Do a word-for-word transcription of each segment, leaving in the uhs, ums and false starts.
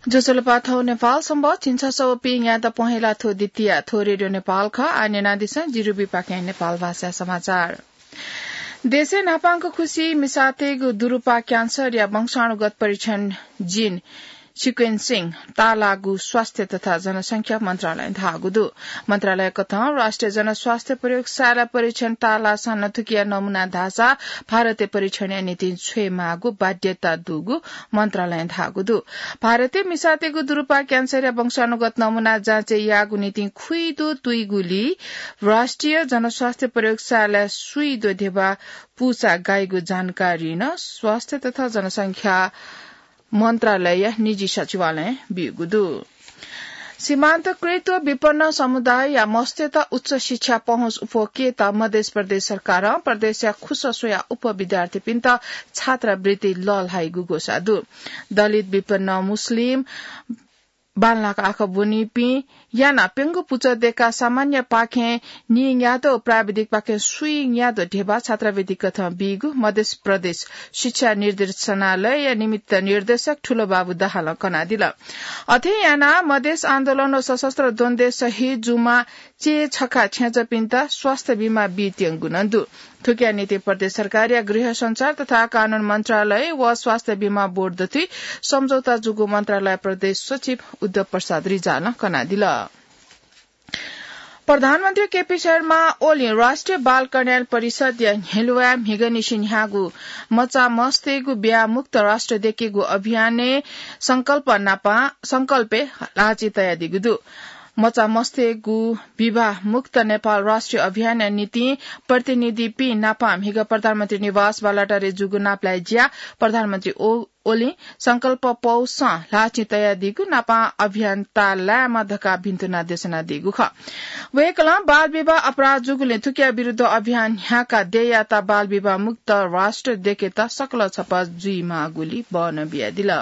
ज्वजलपा, थौं नेपाल संवत् झिंछसः व पीन्यादँ पहेँला थ्व द्वितीया। थ्व रेडियो नेपाल खः। आः न्यनादिसँ जिरुबीपाखें नेपाल भाषा समाचार। देशय् न्हापांगु खुसि मिसातय्गु दुरुपा क्यान्सरया वंशाणुगत परीक्षण gene sequencing ताःलाःगु स्वास्थ्य तथा जनसंख्या मन्त्रालयं धाःगु दु। मन्त्रालय कथं राष्ट्रिय जनस्वास्थ्य प्रयोगशाला परीक्षण ताःलाःसां नं थुकिया नमूना धाःसा भारतय् परीक्षणया निंतिं छ्वयेमाःगु बाध्यता दुगु मन्त्रालयं धाःगु दु। भारतय् मिसातय्गु दुरुपा क्यान्सरया वंशाणुगत नमूना जाँचय् याःगु निंतिं खुइदु तुइगुली राष्ट्रिय जनस्वास्थ्य प्रयोगशालाय् सुइदो ध्यबा पुसा गाइगु जानकारी नं स्वास्थ्य तथा जनसंख्या मन्त्रालयया निजी सचिवालयं ब्यूगु दु। सीमान्तकृत विपन्न समुदायया मस्तय्त उच्च शिक्षा पहुँच अप्वःकेत मधेस प्रदेश सरकारं प्रदेशया खुसः स्वयाः उपविद्यार्थीपिन्त छात्रवृत्ति लःल्हाइगु ग्वसाः दु। दलित, विपन्न, मुस्लिम, बांलाक आखः ब्वनीपिं यानाः प्यंगू पुचः दय्काः सामान्यपाखें नीन्यादँ व प्राविधिकपाखें स्वीन्यादँ ध्यबा छात्रवृत्ति कथं बीगु मधेस प्रदेश शिक्षा निर्देशनालयया निमित्त निर्देशक ठुलोबाबु दाहालं कनादिल। अथे यानाः मधेस आन्दोलन व सशस्त्र द्वन्द्वय् शहीद जूम्ह चय् छखा छेँजःपिन्त स्वास्थ्य बीमा बीत्यंगु नं दु। थुकिया निंतिं प्रदेश सरकारया गृह संचार तथा कानून मन्त्रालय व स्वास्थ्य बीमा बोर्ड दथुइ सम्झौता जूगु मन्त्रालय प्रदेश सचिव उद्धव प्रसाद रिजालं कनादिल। प्रधानमन्त्री केपी शर्मा ओलीं राष्ट्रिय बाल कल्याण परिषदया न्ह्यलुवाय् म्हिगःनिसें न्ह्याःगु मचा मस्तय्गु ब्याहा मुक्त राष्ट्र दय्केगु अभियानय् संकल्प नापं, संकल्पय् ल्हाःचिं तयादीगु दु। मचा मस्तय्गु विवाह मुक्त नेपाल राष्ट्रिय अभियानया निंतिं प्रतिनिधिपिं नापं म्हिगः प्रधानमन्त्री निवास बालाटारय् जूगु नापलाये ज्याय् प्रधानमन्त्री ओ-, ओलीं संकल्प पौसं ल्हाःचिं तयादीगु नापं अभियान ताःलायेमा धकाः भिन्तुना देछानादीगु खः। वय्कलं बाल विवाह अपराध जूगुलिं थुकिया विरुद्ध अभियान न्ह्याकाः देय्यात बाल विवाह मुक्त राष्ट्र दय्केत सकल छपा जुइमाःगुली बहना बियादिल।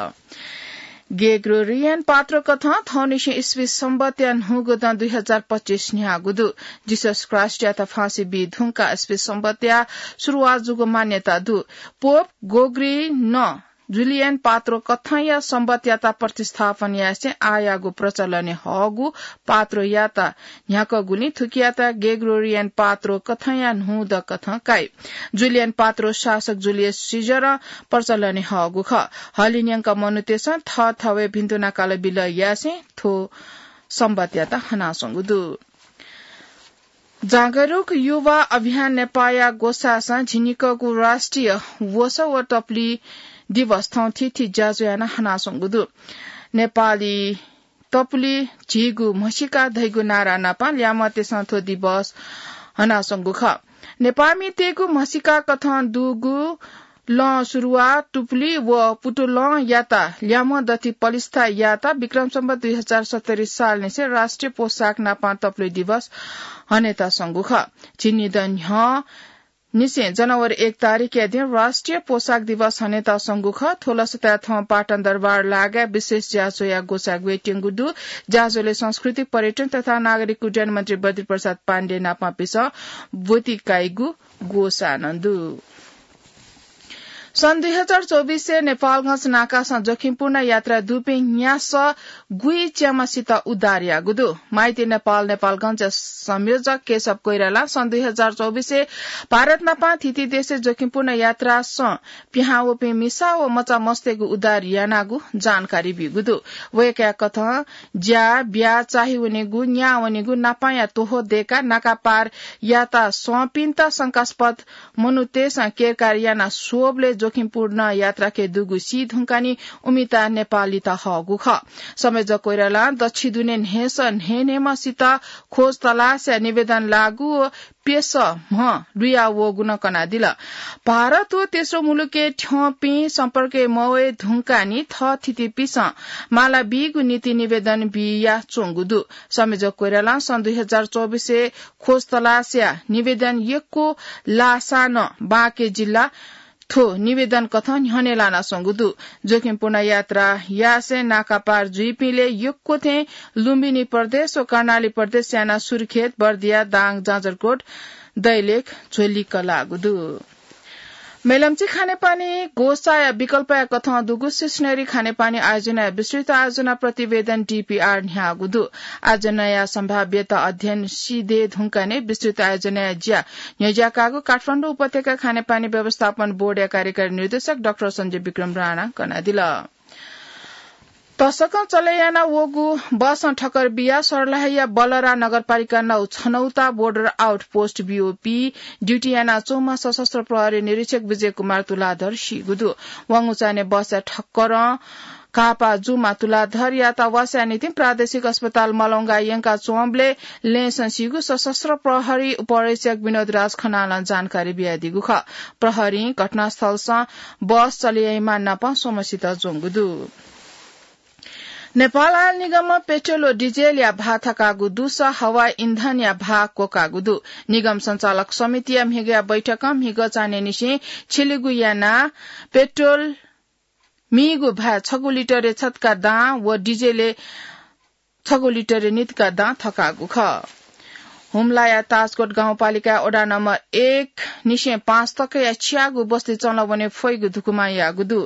ग्रेगोरियन पात्रो कथं थौंनिसें इस्वी संवत्‌या न्हूगु दँ दुई हजार पच्चिस न्ह्याःगु दु। जिसस ख्रीष्टयात फाँसी बी धुंकाः इस्वी संवत्‌या सुरुवात जूगु मान्यता दु। पोप ग्रेगोरी नं जुलियन पात्रो कथंया संवत्‌यात प्रतिस्थापन यासें आःयागु प्रचलनय् हःगु पात्रोयात न्ह्याकःगुलिं थुकियात ग्रेगोरियन पात्रो कथंया न्हूदँ कथं काइ। जुलियन पात्रो शासक जुलियस सिजरं प्रचलनय् हःगु खः। हलिंन्यंक मनूतय्सं थःथवय् भिन्तुना कालबिल यासें थ्व संवत्‌यात हनाच्वंगु दु। जागरुक युवा अभियान नेपाःया ग्वसाःसं झिंनिकःगु राष्ट्रिय वसः व टपुली दिवस थौं थीथी ज्याझ्वः यानाः हनाच्वंगु दु। नेपाली टपुली झीगु म्हसीका धइगु नारा नापं ल्याय्म्हतय्सं थ्व दिवस हनाच्वंगु खः। नेपाःमितय्गु म्हसीका कथं दुगु लं सुरुवाः टपुली व पुतुलंयात ल्याय्म्ह दथुइ पलिस्था यायेत विक्रम सम्वत दुई हजार सत्तरी सालनिसें राष्ट्रिय पोशाक नापं टपुली दिवस हनेत स्वंगु खः। झिंनिदँ न्ह्यः निसें जनवरी एक तारिखया दिं राष्ट्रिय पोशाक दिवस हनेत स्वंगु खः। थ्व लसताय् थौं पाटन दरबार लागाय् विशेष ज्याझ्वःया ग्वसाः ग्वयेत्यंगु दु। ज्याझ्वलय् संस्कृति, पर्यटन तथा नागरिक उड्डयन मन्त्री बद्री प्रसाद पाण्डे नापंपिन्सं ब्वति काइगु ग्वसाः नं दु। सन् दुई हजार चौबिसय् नेपालगंज नाकासं जोखिमपूर्ण यात्रा दुपिं न्यासः गुइच्याम्हसित उद्धार याःगु दु। माइती नेपाल नेपालगंजया संयोजक केशव कोइरालां सन् दुई हजार चौबिसय् भारत नापं थीथी देशय् जोखिमपूर्ण यात्रासं पिहां वःपिं मिसा व मचा मस्तय्गु उद्धार यानागु जानकारी ब्यूगु दु। वय्कःया कथं ज्या, ब्याहा, चाःहिवनेगु, न्याः वनेगु, नापांया त्वहः दय्काः नाका पार यात स्वंपिन्त शंकास्पद मनूतय्सं केरकार यानाः स्वःबलय् जोखिमपूर्ण यात्राखे दुगु सी धुंकाः नं उमिता नेपालीत हःगु खः। संयोजक कोइरालां दच्छि दुने न्हय्सः न्हय्न्हय्म्हसित खोज तलासया निवेदन लाःगु व प्यसः म्ह लुया वःगु नं कनादिल। भारत व तेस्रो मुलुकय् थ्यंपिं सम्पर्कय् मवये धुंकाः नं थःथितिपिन्सं माला बीगु निंतिं निवेदन बियाच्वंगु दु। संयोजक कोइरालां सन् दुई हजार चौबिसय् खोज तलासया निवेदन यक्व लाःसां नं बाँके जिल्ला थ्व निवेदन कथं न्ह्यःने लानाच्वंगु दु। जोखिमपूर्ण यात्रा यासें नाका पार जुइपिंलय् यक्व थें लुम्बिनी प्रदेश व कर्णाली प्रदेश यानाः सुर्खेत, बर्दिया, दाङ, जाजरकोट, दैलेख, झ्वलिक लाःगु दु। मेलम्ची खानेपानी गोसाया विकल्पया कथं दुगु स्टेशनरी खानेपानी आयोजनाया विस्तृत आयोजना प्रतिवेदन, डीपीआर, न्ह्याःगु दु। आयोजनाया सम्भाव्यता अध्ययन सिधे धुंकाने विस्तृत आयोजनाया ज्या न्ह्यज्याकागु काठमाडौं उपत्यका खानेपानी व्यवस्थापन बोर्डया कार्यकारी निर्देशक डाक्टर सञ्जय विक्रम राणां कनादिल। तसकं चले याना वःगु बसं ठक्कर बियाः सर्लाहीया बलरा नगरपालिका नौ छनौता बोर्डर आउटपोस्ट, बीओपी, ड्युटी याना च्वंम्ह सशस्त्र प्रहरी निरीक्षक विजय कुमार तुलाधर सीगु दु। वांगु चान्हय् बसया ठक्करं घाःपाः जूम्ह तुलाधरयात वासया निंतिं प्रादेशिक अस्पताल मलंगा यंका च्वंबलय् लँय्‌सं सीगु सशस्त्र प्रहरी उपरीक्षक विनोद राज खनालं जानकारी बियादीगु खः। प्रहरीं घटनास्थलसं बस चले याइम्ह नापं स्वम्हसित ज्वंगु दु। नेपाल आयल निगमं पेट्रोल व डिजेलया भाः थकाःगु दुसा हवाई इन्धनया भाः क्वकाःगु दु। निगम सञ्चालक समितिया म्हिगःया बैठकं म्हिगः चान्हय्‌निसें छिलिगु यानाः पेट्रोल मीगु भाः छगू लिटरय् छतका दां व डिजेलय् छगू लिटरय् नितका दां थकाःगु खः। हुम्लाया ताजकोट गाउँपालिकाया वडा नम्बर एक निसें पाँच तकया च्यागू बस्ती चंलावने फइगु धुकुमा याःगु दु।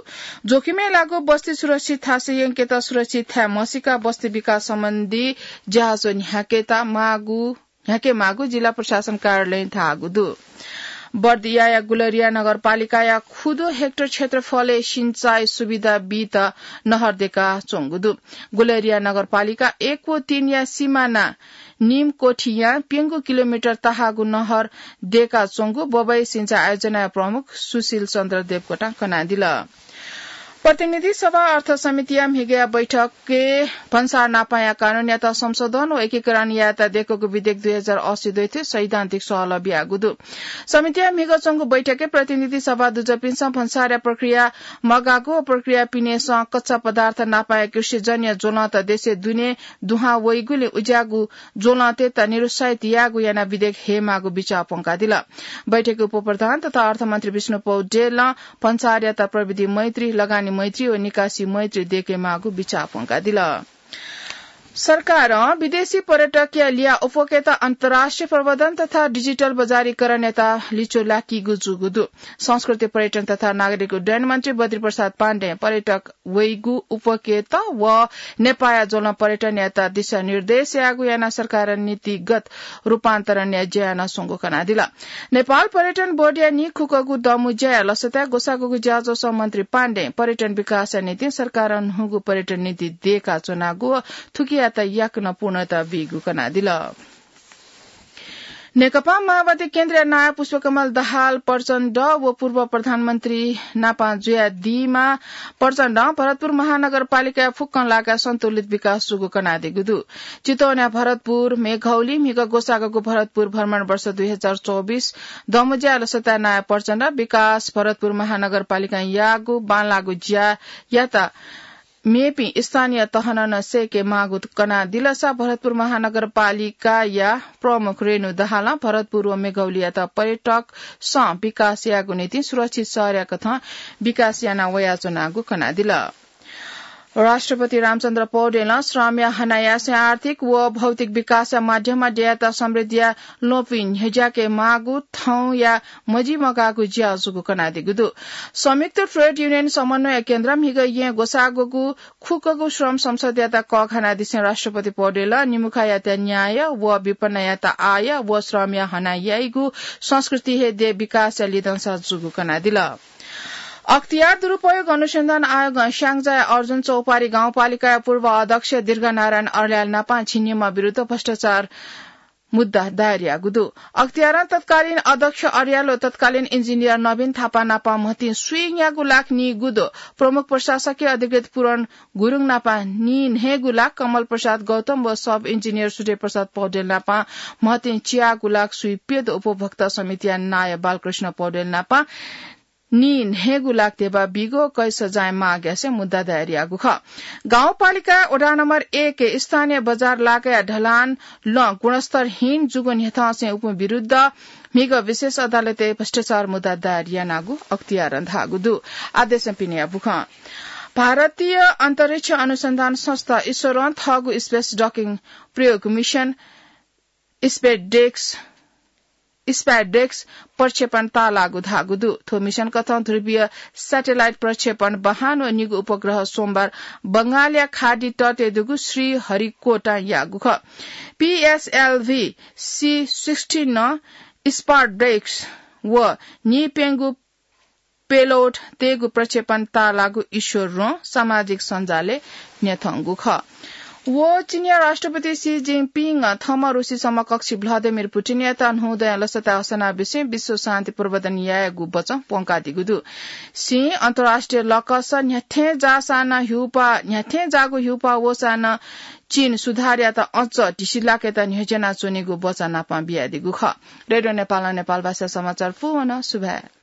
जोखिमय् लाःगु बस्ती सुरक्षित थासय् यंकेत सुरक्षित थाय् म्हसीका बस्ती विकास सम्बन्धी ज्याझ्वः न्ह्याकेत माःगु, न्ह्याके माःगु जिल्ला प्रशासन कार्यालयं धाःगु दु। बर्दियाया गुलरिया नगरपालिकाया खुदो हेक्टर क्षेत्रफलय् सिँचाइ सुविधा बीत नहर देका च्वंगु दु। गुलरिया नगरपालिका एक व तीनया सिमाना निमकोठीया प्यंगू किलोमिटर तहाःगु नहर देका च्वंगु बबई सिँचाइ आयोजनाया प्रमुख सुशील चन्द्र देवकोटां कनादिल। प्रतिनिधि सभा अर्थ समितिया म्हिगःया बैठकय् भन्सार नापाया कानूनयात संशोधन व एकीकरण यायेत देकूगु विधेयक दुई हजार अस्सी द्वैथय् सैद्धान्तिक सहलह बियागु दु। समितिया म्हिगः च्वंगु बैठकय् प्रतिनिधि सभा दुजःपिन्सं भन्सारया प्रक्रिया मगाःगु व प्रक्रिया पिनेसं कच्चा पदार्थ नापाया कृषिजन्य ज्वलंत देशय् दुने दुहां वइगुलिं उज्याःगु ज्वलंतय्‌त निरुत्साहित याःगु यानाः विधेयक हयेमाःगु बिचाः प्वंकादिल। बैठकय् उपप्रधान तथा अर्थमन्त्री विष्णु पौडेलं भन्सारयात प्रविधि मैत्री, लगानी मैत्री व निकासी मैत्री देकेमाःगु बिचाः प्वंकादिल। सरकारं विदेशी पर्यटकया लिया उप्वकेत अन्तर्राष्ट्रिय प्रवर्धन तथा डिजिटल बजारीकरणयात लिच्वः लाकीगु जूगु दु। संस्कृति, पर्यटन तथा नागरिक उड्डयन मन्त्री बद्री प्रसाद पाण्डें पर्यटक वइगु उप्वकेत व नेपाःया ज्वलं पर्यटनयात दिशानिर्देश याःगु यानाः सरकारं नीतिगत रूपान्तरणया ज्या यानाः स्वंगु कनादिल। नेपाल पर्यटन बोर्डया निं खुकःगु दमु ज्याया लसताय् ग्वसाःगुगु ज्याझ्वलय् मन्त्री पाण्डें पर्यटन विकासया निंतिं सरकारं न्हूगु पर्यटन नीति देका च्वनागु व थुकियात याकनं पूर्णता बीगु कनादिल। नेकपा माओवादी केन्द्रया नायः पुष्पकमल दाहाल प्रचण्ड व पूर्व प्रधानमन्त्री नापं जुयादीम्ह प्रचण्डं भरतपुर महानगरपालिकाय् फुक्कं लागाय् सन्तुलित विकास जूगु कनादीगु दु। चितवनया भरतपुर, मेघौली म्हिगः ग्वसाःगु भरतपुर भ्रमण वर्ष दुई हजार चौबिस दमु ज्याया लसताय् नायः प्रचण्डं विकास भरतपुर महानगरपालिकां याःगु बांलाःगु ज्यायात मेपिं स्थानीय तहनं नं सय्‌के माःगु कनादिलसा भरतपुर महानगरपालिकाया प्रमुख रेणु दाहालं भरतपुर व मेघौलीयात पर्यटकसं विकास यायेगु निंतिं सुरक्षित शहरया कथं विकास याना वयाच्वनागु कनादिल। राष्ट्रपति रामचन्द्र पौडेलं श्रमया हनायासें आर्थिक व भौतिक विकासया माध्यमं देय्‌यात समृद्धिया ल्वपुइ न्ह्यज्याके माःगु थौंया मजिमगाःगु ज्या जूगु कनादीगु दु। संयुक्त ट्रेड युनियन समन्वय केन्द्रं म्हिगः येँ ग्वसाःगु खुकःगु श्रम संसदयात कःघानादिसें राष्ट्रपति पौडेलं निमुखायात न्याय व विपन्नयात आय व श्रमया हना याइगु संस्कृति हे देय् विकासया लिधंसा जूगु कनादिल। अख्तियार दुरुपयोग अनुसन्धान आयोगं स्याङ्जाया अर्जुन चौपारी गाउँपालिकाया पूर्व अध्यक्ष दीर्घनारायण अर्याल नापं झिंनिम्ह विरुद्ध भ्रष्टाचार मुद्दा दायर याःगु दु। अख्तियारं तत्कालीन अध्यक्ष अर्याल व तत्कालीन इन्जिनियर नवीन थापा नापं म्हतिं स्वीन्यागू लाख नीगुदँ, प्रमुख प्रशासकीय अधिकृत पूरण गुरुङ नापं नीन्हय्‌गू लाख, कमल प्रसाद गौतम व सब इन्जिनियर सूर्य प्रसाद पौडेल नापं म्हतिं च्यागू लाख स्वीप्यदँ, उपभोक्ता समितिया नायः बालकृष्ण पौडेल नापं नीन्हय्‌गू लाख ध्यबा बीगु कैद सजाय माग यासें मुद्दा दायर याःगु खः। गाउँपालिका वडा नम्बर एक स्थानीय बजार लागाया ढलान लँ गुणस्तरहीन जूगु न्ह्यथंसें उपिं विरुद्ध म्हिगः विशेष अदालतय् भ्रष्टाचार मुद्दा दायर यानागु अख्तियारं धाःगु दु। आदेशं पिने याःगु खः। भारतीय अन्तरिक्ष अनुसन्धान संस्था इसरों थःगु स्पेस डकिङ प्रयोग मिसन स्पेस डेक्स स्पाइडेक्स प्रक्षेपण ताःलाःगु धाःगु दु। थ्व मिशन कथं ध्रुवीय स्याटेलाइट प्रक्षेपण वाहन व निगू उपग्रह सोमबार बंगालया खाडी तटय् दुगु श्रीहरिकोटां याःगु खः। पीएसएलभी सी सिक्सटी नं स्पाइडेक्स व नीप्यंगू पेलोड तयेगु प्रक्षेपण ताःलाःगु ईश्वर रों सामाजिक सञ्जालय् न्ह्यथंगु खः। व चीनया राष्ट्रपति सी जिनपिंगं थम्हं रुसी समकक्षी भ्लादिमिर पुटिनयात न्हूदँया लसताय् असनाबिसें विश्व शान्ति प्रवर्धन यायेगु बचं प्वंकादीगु दु। सीं अन्तर्राष्ट्रिय लकस न्ह्याथें जाःसां नं ह्यूपाः, न्ह्याथें जाःगु ह्यूपाः वःसां नं चीन सुधारयात अझ धिसिलाकेत न्ह्यज्यानाच्वनीगु बचं नापं बियादीगु खः। रेडियो नेपालं नेपाल भाषा समाचार पूवन सुभाय्।